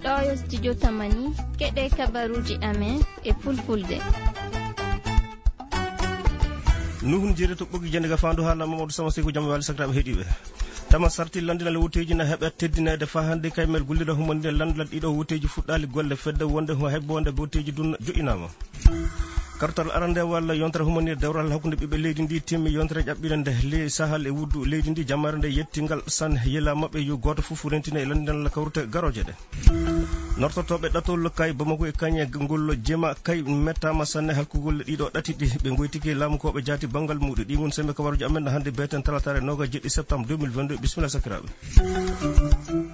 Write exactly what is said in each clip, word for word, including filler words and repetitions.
Ɗo yo studio Tamani, keɗe kabaruuji amen e fulfulde. Nuhun jeeri to ɓoggi jannde ga faandu haala Mamadou Sama Seyku, jam wali sakiraaɓe heɗiiɓe. Tama sarti landinal wutteeji na heɓa teddineede faa hannde kaymel gollira humaninde landinal ɗiɗo wutteeji fuɗɗaali golle fedde wonde ho hebboonde wutteeji dun joƴƴinaama. Kartal arande walla yontere humaninde dewral hakkunde ɓiɓɓe leydi ndi timmi yontere ƴaɓɓirande le sahal e wuddu leydi ndi jamare nde yettingal san yela maɓɓe yo gooto fof rentina e landinal kawrute garooje ɗe. Nortotooɓe ɗatol kay Bamako e Kañe ngol jema kay mettaama sanne halkugol ɗiɗo ɗati ɗi ɓe ngoytiki laamu ko ɓe jaati banngal muɗum. Ɗi ngon sembe kabaruji amen hannde beten talatare noga jeɗɗi septembre deux mille vingt-deux. Bisimilla sakiraaɓe.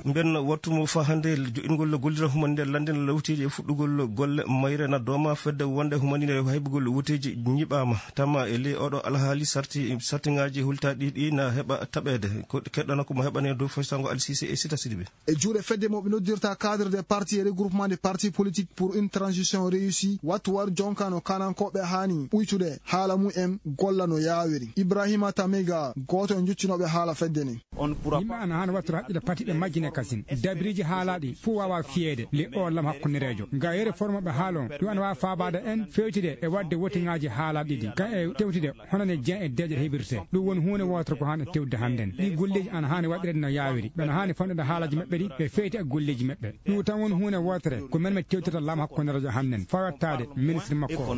Mben wattu mo fa hannde joɗɗingol gollira humande landen lawtiji e fuɗɗugol golle mayre na dooma fedde wonde humanine haybugol wuteji ñiɓama tama e ley oɗo alhaali sarti sartiŋaaji hultaaɗi ɗi na heɓa taɓeede. Ko keɗɗana ko mo heɓane dow foysango alsise e sita sidiɓe. E juuɗe fedde mo ɓe noddirta cadre des partis et regroupement des partis politiques pour une transition réussie, wattu war jonka no kanankooɓe haani ɓuytude haala mum en golla no yaawiri. Ibrahima Tamega, gooto e njuccunooɓe haala fedde ni. Yimɓe ana haani wattude haqqille patiɓe majjine kasin. Dabiriji haalaaɗi fof waawa fiyeede le o lam hakkundereejo. Nga yere formoɓe haala on, ɗum ana waawa faabaade en fewtide e waɗde wotiŋaaji haalaaɗi ɗi. Kan e tewtide hono ne jean e deeƴe heɓirte. Ɗum woni huunde wootere ko haani tewde hannden. Ɗi golleeji ana haani waɗireede no yaawiri. Ɓe ana haani fanɗude haalaaji maɓɓe ɗi ɓe feyti e golleeji maɓɓe. Ɗum tan woni huunde wootere ko men men tewtirta laamu hakkundereejo hannden fawattaade ministre makko o.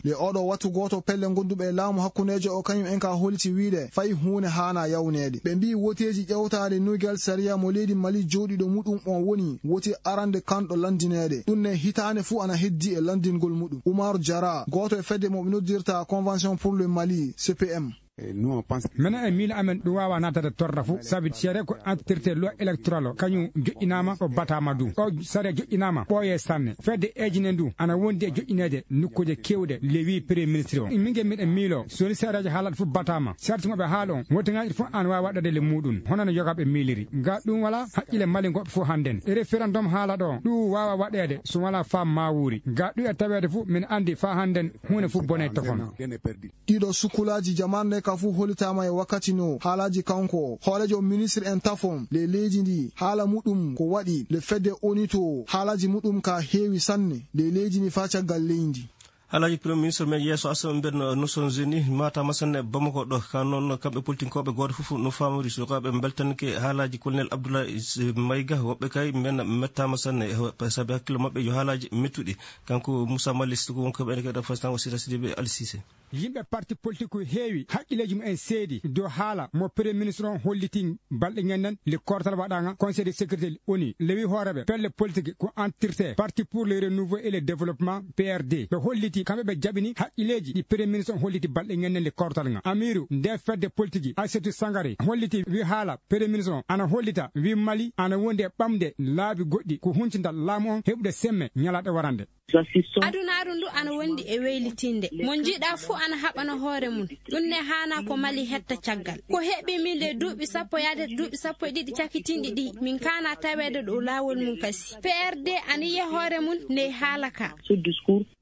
Le oɗo wattu gooto pelle gonduɓe e laamu hakkundeejo o kañum en ka holiti wiide fay huunde haana yawneede. Ɓe mbii woteeji ƴewtaade nugel sariya mo leydi Mali jooɗiɗo muɗum on woni woti arande kanɗo landineede. Ɗum ne hitaande fuu ana heddi e landingol muɗum. Umar Jara, gooto e fedde mo ɓe noddirta Convention pour le Mali, C P M. Menen e miila amen ɗum waawa naatade torra fof, sabi seede ko entité loi électorale o kañum joƴƴinaama o bataama du. O sariya joƴƴinaama ɓooye sanne. Fedde eejine ndu ana wondi e joƴƴineede nokkuuje keewɗe le wii premier ministre o. Mingen miɗen miilo so woni seedeejo haalata fof bataama. Sarti mo ɓe haala on, wotiŋaaji fof ana waawi waɗɗade le muuɗum, hono no yogaaɓe miiliri. Ga ɗum wala haqqille malingoɓe fof hannden. E référendum haala ɗo, ɗum waawa waɗeede so wala faam maa wuuri. Ga ɗum e taweede fof, min anndi faa hannden huunde fof bone tofon. Ɗiɗo sukkulaaji jamaanu nde ka fuu hollitaama e wakkati no haalaaji kanko hooreejo ministre en tafon le leydi ndi haala muɗum ko waɗi le fedde onito haalaaji muɗum ka heewi sanne le leydi ndi faa caggal leydi. Haalaaji premier ministre men yeeso asama mben Nations Unies maataama sanne Bamako ɗo ka noon kamɓe politinkooɓe gooto fof no faamori sukaaɓe mbeltanke haalaaji colonel Abdoulaye Maïga woɓɓe kay mben mettaama sanne sabi hakkille maɓɓe yo haalaaji mettuɗi. Kanko Moussa Malice ko wonko ɓen kadi fastan o sita sidiɓe alsise. Yimɓe parti politique heewi haqqilleeji mumen seedi dow haala mo premier ministre on hollitii balɗe ñanden le kortal waɗaanga conseil de sécurité onu lewi hooreɓe pelle politique ko entité parti pour le renouveau et le développement P R D ɓe holliti kamɓe ɓe jaɓini haqqilleeji ɗi premier ministre on holliti balɗe ñanden le kortal nga amiru nde fedde politique Aïssatou Sangare holliti wi haala premier ministre on ana hollita wi Mali ana wondi e ɓamde laabi goɗɗi ko huncinta laamu on heɓude semme ñalaaɗe warande. Adunaaru ndu ana wondi e weylitinde. Mo njiɗa fuu ana haɓana hoore mum. Ɗum ne haana ko Mali hetta caggal. Ko heɓi min le duuɓi sappo yaade duuɓi sappo e ɗiɗi cakitinɗi ɗi min kaana taweede ɗo laawol mum kasi. P R D ana yiya hoore mum nde haala ka.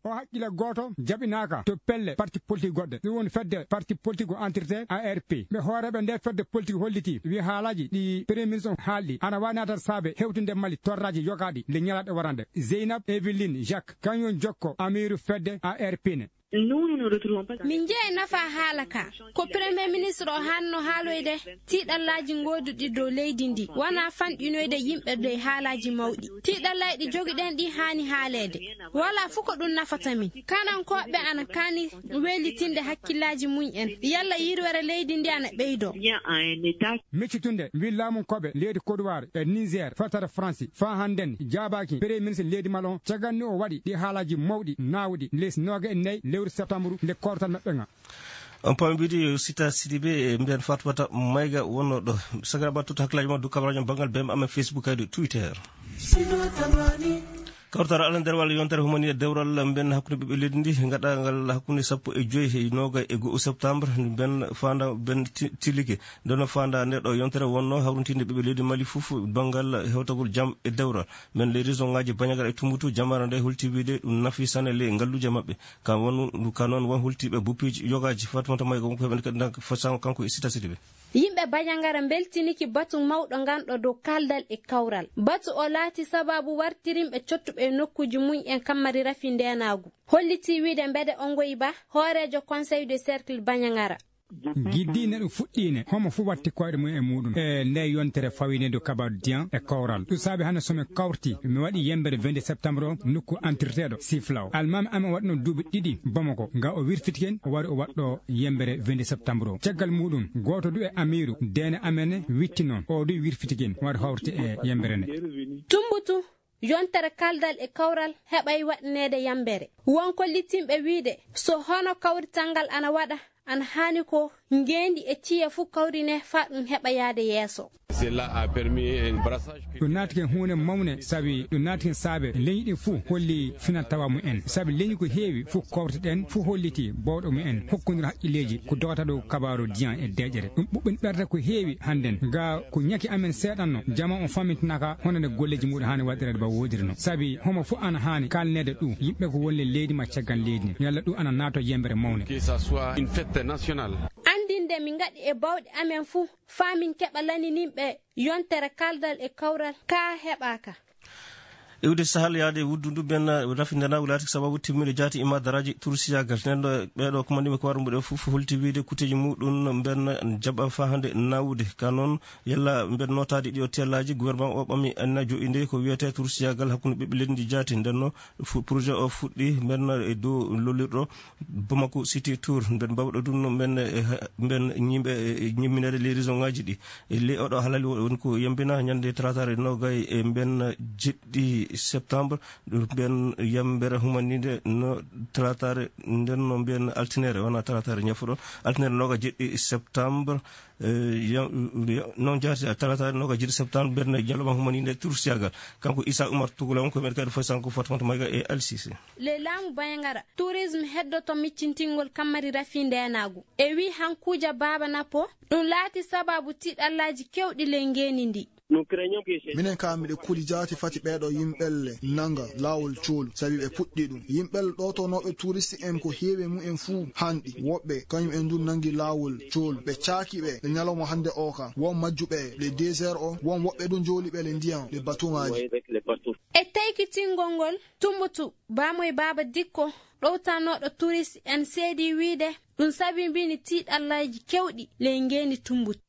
O haqqille gooto jaɓinaaka to pelle parti politique goɗɗe. Ɗum woni fedde parti politique o entité A R P. Ɓe hooreeɓe nde fedde politique holliti wi haalaaji ɗi premier ministre on haalɗi ana waawi naatata saabe hewtinde Mali torraaji yogaaɗi nde ñalaaɗe warande. Zeynab Eveline Jacques, kañum jokko amiiru fedde A R P ne. Nous, nous ne retrouvons pas. Min njeyi nafa haala ka. Ko premier ministre o hanno haaloyde tiiɗallaaji ngooduɗi dow leydi ndi. Wona fanɗinoyde yimɓe dow haalaaji mawɗi. Tiiɗallaaji ɗi jogiɗen ɗi haani haaleede. Wala fof ko ɗum nafata min. Kanankooɓe ana kaani weylitinde hakkillaaji mum en. Yalla yirwere leydi ndi ana ɓeydoo. Bien à un État. Miccitunde wi laamu koɓe leydi Côte d'Ivoire e Niger, fatara Faransi, faa hannden jaabaaki premier ministre leydi Mali on, caggal ni o waɗi ɗi haalaaji mawɗi naawuɗi les nooga e nayi lewru septembre nde kortal maɓɓe nga. On paami mbiɗi yo Sita Sidibe e mbiyan Fatmata Mayga wonno ɗo. Sakira battuta hakkilaaji ma du kabaraaji ma banngal B M amen Facebook kadi Twitter. Kawtal ala nder walla yontere humani e dewral mben hakkunde ɓiɓɓe leydi ndi gaɗangal hakkunde sappo e joyi e nooga e go'o septembre mben faanda mben ti- tilike. Nde no faanda nde ɗo yontere wonno hawrintinde ɓiɓɓe leydi Mali fof banngal hewtagol jam e dewral. Men les raisons ngaji bañagal e tumbutu jamara nde holti wiide ɗum nafi sane le ngalluuje maɓɓe. Kam wonu ka noon won holtiiɓe buppiiji yogaaji Fatmata Mayga wonko heɓen kadi nag fasango kanko e Sita Sidibe. Yimɓe Bajangara mbeltiniki batu mawɗo nganɗo dow kaldal e kawral. Batu o laati sababu wartirinɓe cottuɓe e nokkuuji mum en kammari rafi ndeenaagu. Hollitii wiide Mbede Ongoy Ba, hooreejo Conseil de Cercle Bajangara. Giddiine ɗum fuɗɗiine, homo fuu watti koyɗe mum e muuɗum e nde yontere fawinde dow kabaru diyan e kawral. Ɗum saabi hannde so min kawrti, mi waɗi yembere vingt septembre o nokku antirteeɗo Siflaw. Almaami amen waɗno duuɓi ɗiɗi Bamako, nga o wirfiti ken, o wari o waɗɗo yembere vingt septembre o. Caggal muuɗum, gooto du e amiiru deene amen witti noon, o du wirfiti ken, wari hawrti e yembere nde. Tumbutu, yontere kaldal e kawral heɓay waɗneede yambere. Won kollitinɓe wiide, so hono kawrital ngal ana waɗa, ana haani ko ngeendi e ciya fuu kawrine faa ɗum heɓa yaade yeeso. Cela a permis un brassage. Ɗum naati ken huunde mawne, sabi ɗum naati ken saabe leñi ɗin fuu holli fina tawa mum en. Sabi leñi ko heewi fuu kawrte ɗen fuu holliti bawɗo mum en hokkondira haqqilleeji ko dogata dow kabaaru diyan e deeƴere. Ɗum ɓuɓɓin ɓerde ko heewi hannden. Ga ko ñaki amen seeɗanno, jama on famintinaka hono nde golleeji muɗum haani waɗireede ba woodirno. Sabi homo fuu ana haani kalneede ɗum, yimɓe ko woni e leydi ma caggal leydi ni. Yalla ɗum ana naato yembere mawne. Que ça soit une fête nationale. Anndinde min ngaɗi e bawɗe amen fuu, faa min keɓa lanininɓe yontere kaldal e kawral, kaa heɓaaka. Iwde sahal yaade e wuddu ndu, ben rafi ndenaagu laati sababu timmude jaati ima daraaji tursiyagal. Nden ɗo ɓeeɗo kumandiɓe ko warɓe ɓe fof holti wiide kuteeji muɗum ben jaɓa faa hannde nawude. Ka noon, yalla ben nootaade ɗiɗo tellaaji, gouvernement o ɓami anna jo'inde ko wiyetee tursiyagal hakkunde ɓiɓɓe leydi ndi jaati. Nden no fu-, projet o fuɗɗi ben e dow lollirɗo Bamako City Tour, mbeɗa mbawɗo ɗum, mbeɗa, eh, mbeɗa ñiiɓe, eh, ñimminere les région ngaji ɗi. E ley oɗo halali woni ko yembina ñande talataare nogay e mbeɗa jeɗɗi septembre, mbeɗa yembere humaninde no talataare nden no mbeɗa altinere, wona talataare ñafuɗo, altinere nogay jeɗɗi septembre, eh, ya-, ya-, noon jaati talataare nogay jeɗɗi septembre, mbeɗa ñalawma humaninde tursiyagal. Kanko Issa Oumar Tougoula on ko mbeɗa kadi foy sanko Fatmata Mayga e Alsise. Le laamu Bayangara, tourisme heddoto miccintingol kammari rafi ndeenaagu. E wi Hankuja Baaba Napo, ɗum laati sababu tiiɗallaaji kewɗi ley ngeeni ndi. Minen kam miɗe kuli jaati fati ɓeeɗo yimɓelle nanga laawol coolu, sabi ɓe puɗɗi ɗum. Yimɓelle ɗootonooɓe touriste en ko heewi e mumen fuu hanɗi. Woɓɓe kañum en dun nangi laawol coolu. Ɓe caaki ɓe le ñalawma hannde o ka. Won majjuɓe le deux heures o, won woɓɓe dun jooli ɓe le ndiyan, le batuŋaaji. E taykitingol ngol, Tumbutu, Baamoy Baaba Dikko, ɗowtanooɗo turist en seedii wiide, ɗum sabibini tiiɗallaaji kewɗi ley ngeeni Tumbutu.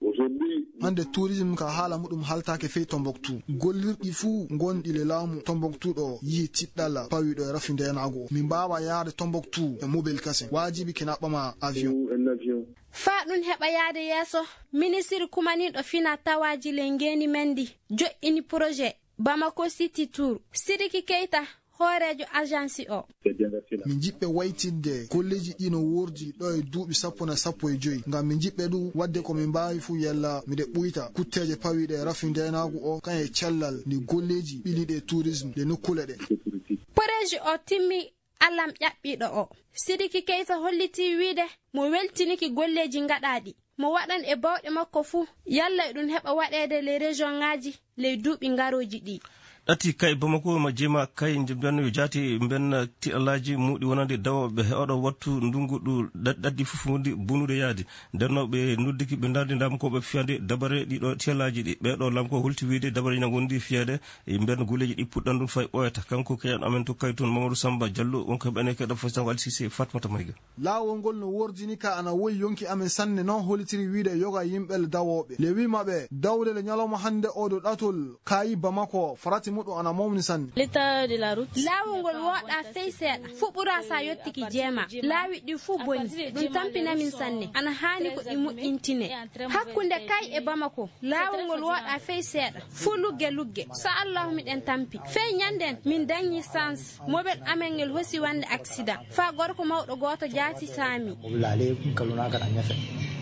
Hannde tourisme ka haala muɗum haltaake fey Tombouctou. Gollirɗi fuu gonɗi le laamu Tombouctou ɗo yihi tiiɗalla pawiiɗo e rafi ndeenaagu o. Min mbaawa yaade Tombouctou e mobile kasen. Waajibi kina ɓama avion. Faa ɗum heɓa yaade yeeso, ministiri kumaniiɗo fina tawaaji ley ngeeni men ndi joƴƴini projet Bamako City Tour. Sidiki Keita, hooreejo agence o. Min njiɗɓe waytinde golleeji ɗi no woordi ɗo e duuɓi sappo na sappo e joy. Ngam min njiɗɓe ɗum waɗde ko min mbaawi fuu yalla miɗe ɓuyta kutteeje pawiiɗe e rafi ndeenaagu o, kan e cellal ndi golleeji ɓiliiɗi e tourisme ɗe nokkuule ɗe. Projet o timmi alam ƴaɓɓiiɗo o. Sidiki Keita hollitii wiide mo weltiniki golleeji ngaɗaaɗi. Mo waɗan e bawɗe makko fuu, yalla e ɗum heɓa waɗeede ley région ŋaaji ley duuɓi ngarooji ɗi. Ɗati kay Bamako ma jeema kay nde mbiyanno yo jaati mben tiɗalaaji muuɗi wonande dawooɓe he oɗo wattu ndungu ɗu ɗa-, ɗaɗɗi fof wondi bonude yaade. Nden no ɓe noddiki ɓe ndardi ndam ko ɓe fiyande dabare ɗiɗo tiɗalaaji ɗi. Ɓeeɗo lam ko holti wiide dabare ina ngondi fiyade e mben golleeji ɗi puɗɗan ɗum fay ɓooyata. Kanko keyan amen to kay toon Mamadou Samba Diallo, wonko heɓane keɗa fof sango Alsise Fatmata Mayga. Laawol ngol no wordini ka ana woyi yonki amen sanne, noon holitiri wiide yoga yimɓe le dawooɓe. Le wi maɓe, dawde le ñalawma hannde o ɗo ɗatol kaayi Bamako, farati muɗum ana mawni sanne. L'état de la route. Laawol ngol wooɗaa fey seeɗa, fuɓɓuraa sa yottiki jeema. Laawi ɗi fuu boni, ɗum tampina min sanne. Ana haani ko ɗi moƴƴintine. Hakkunde kay e Bamako, laawol ngol wooɗaa fey seeɗa, fuu lugge lugge. So Allahu miɗen tampi. Fey ñannden, min dañi sans. Mobel amen ngel hosi wande accident. Faa gorko mawɗo gooto jaati saami.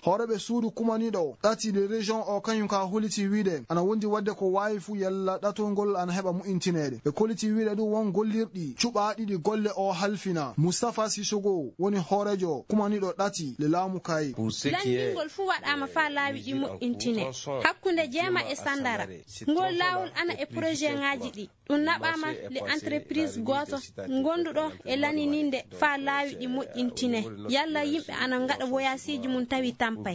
Hooreeɓe suudu kumaniiɗo o ɗati le région o kañum ka holiti wiide ana wondi wadde ko waawi fuu yalla ɗatol ngol ana heɓa mu'intineede. Ɓe koliti wiide ɗum won gollirɗi cuɓaaɗi ɗi golle o halfina. Moustapha Sissoko woni hooreejo kumaniiɗo ɗati le laamu kaayi. Lanndingol fuu waɗaama faa laawi ɗi moƴƴintine hakkunde jeema e sandara. Ngol laawol ana e projet ŋaaji ɗi. Ɗum naɓaama le entreprise gooto ngonduɗo e lanininde faa laawi ɗi moƴƴintine. Yalla yimɓe ana ngaɗa woyaasiiji mum tawi tampay.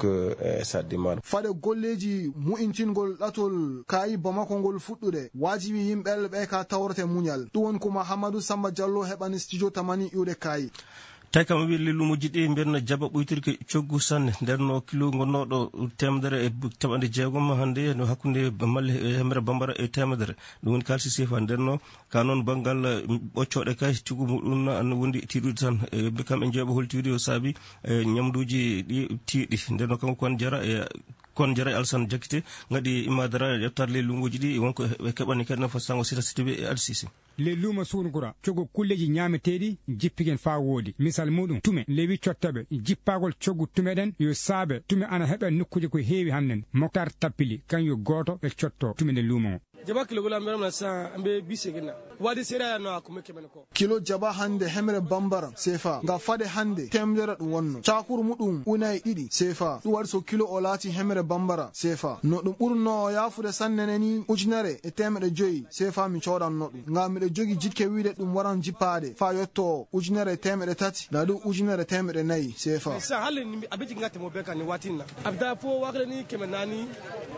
Fade golleeji mu'intingol ɗatol kaayi Bamako ngol fuɗɗude, waajibi yimɓe ɓe ka tawrete muñal. Ɗum woni ko Mahamadou Samba Diallo heɓani studio Tamani iwde kaayi. Tawi kam wi lelluumuuji ɗi mbiyen jaɓa ɓuytirki coggu sanne. Nden no kilo ngonnooɗo teemedere e bu-, capanɗe jeegom hannde no hakkunde Mali e Hemre Bambara e teemedere. Ɗum woni kaalisi sefa. Nden no ka noon banngal, eh, ɓoccooɗe kay coggu muɗum na an wondi tiiɗude tan. Eh, ɓe kam en jeeɓa holti wiide yo saabi, eh, ñamduuji ɗi tiiɗi. Nden no kanko kon jara e kon jara e Alsan Jakite ngaɗi immaadara e ƴettaade lelluumuuji ɗi wonko ɓe keɓani kadi nafa sango sita sitibe e Adsisi. Le luuma Suunkura, coggu kulleeji ñaameteeɗi jippigen faa woodi. Misal muuɗum, tume, lewi cottoɓe, jippaagol coggu tume ɗen, yo saabe, tume ana heɓe nokkuuje ko heewi hannden. Moktar Tappili, kan yo gooto e cotto tume nden luuma o. Jaba kilo gula mberam na sa ambe bise gina. Wadi sera ya no akume kemen ko. Kilo jaba hannde hemre bambara sefa. Nga fade hannde temedere ɗum wonno. Cakuru muɗum unayi ɗiɗi sefa. Ɗum waɗi so kilo o laati hemre bambara sefa. No ɗum ɓurno yaafude sanne ne ni ujunere e teemeɗe joyi sefa mi coodanno ɗum. Ngam miɗo jogi jikke wiide ɗum waran jippaade faa yotto ujunere e teemeɗe tati, na ɗum ujunere e teemeɗe nayi sefa. Sa halle ni a beti ngate mo beka ni watinna. Abda fo wakle ni keme nani,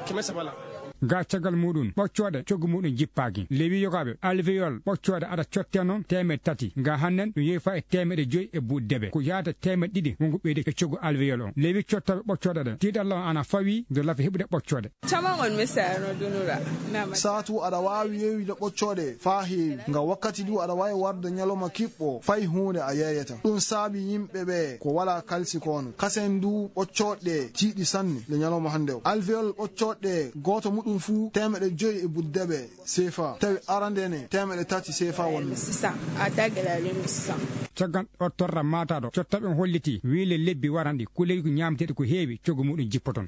keme sabala. Ga caggal muɗum, ɓoccooɗe coggu muɗum jippaaki. Lewi yogaaɓe alvéole ɓoccooɗe aɗa cotte noon teemeɗe tati. Ga hannen ɗum yeefa e teemeɗe joyi e buuɗi debe. Ko yaata teemeɗe ɗiɗi wonko ɓeyde e coggu alvéole on. Lewi cottooɓe ɓoccooɗe ɗe. Tiiɗalla on ana fawi do lafi heɓude ɓoccooɗe. Caman kɔni bɛ saya yɔrɔ don dɔ la. N'a ma Saatu aɗa waawi yeeyude ɓoccooɗe faa heewi. Nga wakkati du aɗa waawi warde ñalawma kiɓɓo fay huunde a yeeyata. Ɗum saabi yimɓe ɓe ko walaa kalsi kono. Kasen du ɓoccooɗe tiiɗi sanne le ñalawma hannde o. Alvéole ɓoccooɗe gooto muɗum fuu teemeɗe joyi e buuɗi debe sefa. Tawi arande ne teemeɗe tati sefa wonno. Sisan, a da gɛlɛyalen don sisan. Caggal o torra maataɗo, cottaɓe on holliti, wiile lebbi waranɗi, kuleygu ñaamteɗi ko heewi, coggu muɗum jippoton.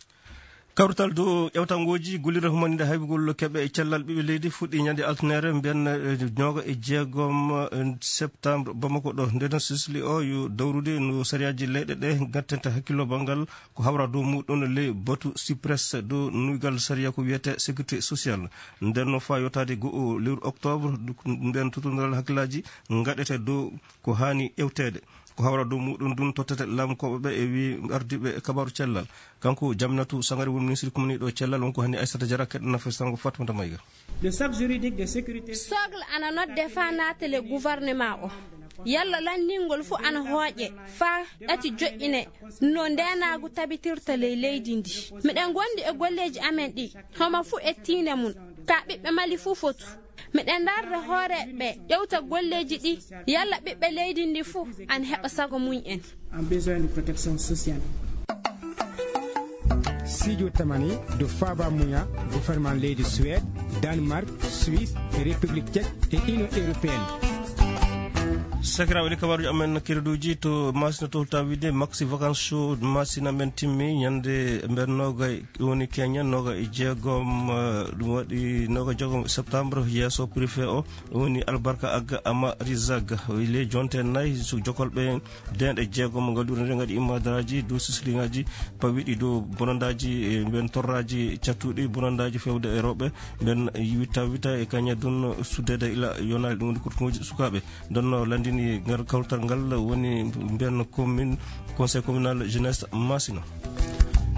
Kawrital dow ƴewtangooji gollirde humaninde haybugol keɓe e cellal ɓiɓɓe leydi fuɗɗi ñande altine, mbiyen, eh, nooga e jeegom, eh, septembre, Bamako ɗo. Nden sisli o yo dawrude no sariyaaji leyɗe ɗe ngattanta hakkillo banngal ko hawra dow muɗum le batu cypress dow nuygal sariya ko wiyete sécurité sociale. Nden no faa yottaade go'o lewru octobre, nden totondiral hakkillaaji ngaɗete dow ko haani ƴewteede. Ko hawra dow muɗum ɗum tottete laamkooɓe ɓe e wi ardiiɓe kabaaru cellal. Kanko Jaminatu Sangare woni ministre kumniiɗo cellal, wonko hani Aissata Diarra keɗɗana fesango Fatmata Mayga. Le socle juridique de sécurité. Socle ana nodde faa naatale gouvernement o. Yalla lanndingol fuu ana hooƴe faa ɗati joƴƴine no ndeenaagu tabitirta ley leydi ndi. Miɗen ngondi e golleeji amen ɗi. Homo fuu e tiinde mum. Ka ɓiɓɓe Mali fuu fotu. Miɗen ndaarde hooreeɓe ɓe, ƴewta golleeji ɗi, yalla ɓiɓɓe leydi ndi fuu ana heɓa sago mum en. En besoin de protection sociale. Studio Tamani, do Faba Muya, gouvernement leydi Suède, Danemark, Suisse, e République Tchèque, e Union Européenne. Sakiraaɓe, ɗi kabaaruuji amen kereduuji to Masina to Tawide, Maxi Vacances Show Masina men timmi ñande mben noogay. Ɗum woni keñen nooga e jeegom, eh, ɗum waɗi nooga e jeegom septembre, yeeso préfet o, ɗum woni Albarka Agga Ama Rizag. O ile jonte nayi, so jokolɓe deenɗe jeegom ngal ɗum ngaɗi immadaraaji dow sisliŋaaji pawiɗi dow bonandaaji, eh, mben torraaji cattuɗi, bonandaaji fewde e rewɓe, mben witta witta e kaña dun suddede ila yonaali, ɗum woni kurtuŋooji sukaaɓe. Nden no lanndini ngal kawtal ngal woni mbiyen commune, conseil communal jeunesse Masina.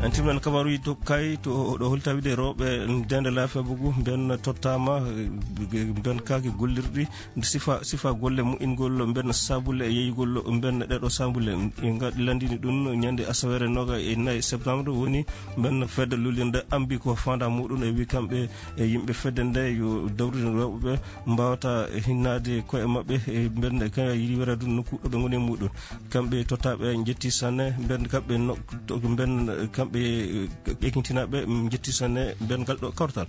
En timnan kabaaruuji to kay to ɗo holta wiide rewɓe ndende laafiya bugu mbiyen tottaama, eh, mbiyen kaaki gollirɗi sifa, sifa golle moƴƴingol mbiyen sabulle e yeeyugol mbiyen ɗeɗo sabulle. En ngaɗi lanndini ɗum ñande asaweere nooga e nayi septembre woni mbiyen fedde lullirde ambi ko fanda muɗum e wi kamɓe e yimɓe fedde nde yo dawrino rewɓe ɓe mbawata hinnaade koye maɓɓe e mbiyen kaya yiɗi wara ɗum nokku ɗo ɓe ngoni e muɗum. Kamɓe tottaɓe njetti sanne, mbiyen kamɓe no, to, mbiyen kamɓe, eh, ekintinaɓe njetti sanne, mbiyen ngal ɗo kawtal.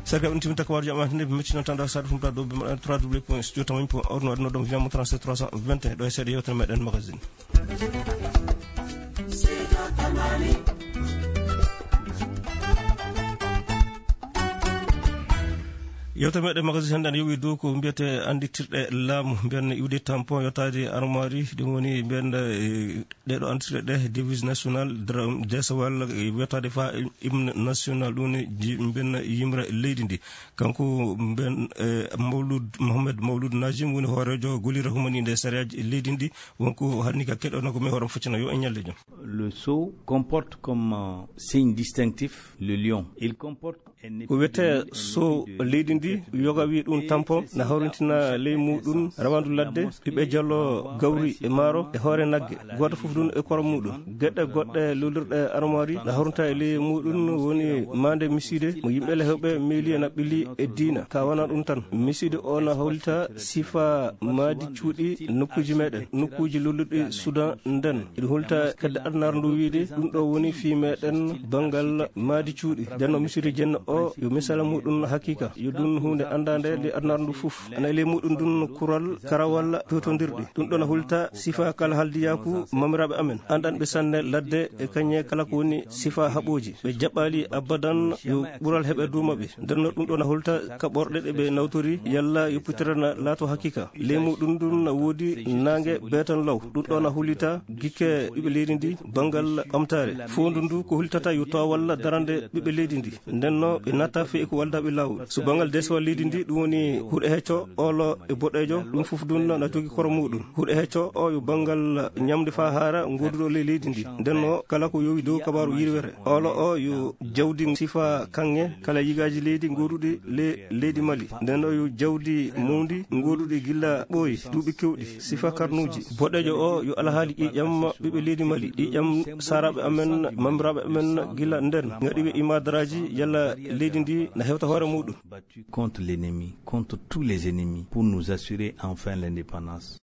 Sarga on timinta ko warjo amante nde, mi mettino tan ɗo saɗa fumta ɗo, ɓe mbaɗa trois W point studio tamani point org, no waɗno ɗum via mo trente-sept trois cent vingt et un, ɗo e seeɗa yewtere meɗen magazine. Yewtere meɗen magazine hannde ana yowi dow ko mbiyetee annditirɗe laamu, mbiyen iwde tampon, yottaade armoire, ɗum woni mbiyen, eh, ɗee ɗo annditirɗe ɗe, devise nationale, dra-, desawal, eh, yottaade fa hymne national, ɗum woni ji-, mbiyen yimre leydi ndi. Kanko mbiyen, eh, Mawlud, Mohamed Mawlud Najim woni hooreejo gollirde humaniinde e sariyaaji leydi ndi. Wonko hannde ka keɗono ko mi hoore foccina yo en ñalle jam. Le sceau comporte comme, euh, signe distinctif le lion. Il comporte un Ko wiyetee épidémie, un sceau leydi ndi, yoga wi ɗum tampon, na hawrintina ley muɗum rawandu ladde, ɓiɓɓe jalo, gawri e maaro e hoore nagge, gooto fof ɗum e koro muɗum. Geɗe goɗɗe lullirɗe armoire na hawrinta e ley muɗum woni maande misiide mo yimɓe lehewɓe meeli e naɓɓili e diina. Ka wona ɗum tan, misiide o na hawlita sifa maadi cuuɗi nokkuuji meɗen, nokkuuji lolluɗi Sudan nden. Iɗum hulta kedde adunaaru ndu wiide, ɗum ɗo woni fii meɗen banngal maadi cuuɗi. Nden no misiri jenno o, yo misala muɗum hakiika, yo ɗum huunde anndaande nde adunaaru ndu fof. Ana e ley muɗum ndun kural, karawal, peewtondirɗi. Ɗum ɗo na hulta sifa kala haldiyaaku mamiraaɓe amen. Anndanɓe sanne ladde e kañe kala ko woni sifa haɓooji. Ɓe jaɓɓaali abadan yo ɓural heɓe duuma ɓe. Nden no ɗum ɗo na hulta kaɓorɗe ɗe ɓe nawtori, yalla yo putirana laato hakiika. Ley muɗum ndun na woodi naange beetan law. Ɗum ɗo na hulita gikke ɓiɓɓe leydi ndi banngal ɓamtaare. Foondu ndu ko hultata yo toowal darande ɓiɓɓe leydi ndi. Nden no ɓe natta fii ko waldaaɓe laawol. So banngal desewal leydi ndi, ɗum woni huɗo hecco, oolo e boɗeejo, ɗum fof ɗum na jogi koro muɗum. Huɗo hecco o yo banngal ñamde faa haara ngoduɗo ley leydi ndi. Nden no kala ko yowi dow kabaaru yirwere. Oolo o yo jawdi sifa kaŋŋe kala yigaaji leydi ngoduɗi le-, leydi Mali. Nden no yo jawdi mawndi ngoduɗi gila ɓooyi duuɓi kewɗi, sifa karnuuji. Boɗeejo o yo alhaali ƴiiƴam ɓiɓɓe leydi Mali, ƴiiƴam saaraaɓe amen, mamiraaɓe amen gila nden. Ngaɗi ɓe imadaraaji yalla leydi ndi na hewta hoore muɗum. Contre l'ennemi, contre tous les ennemis, pour nous assurer enfin l'indépendance.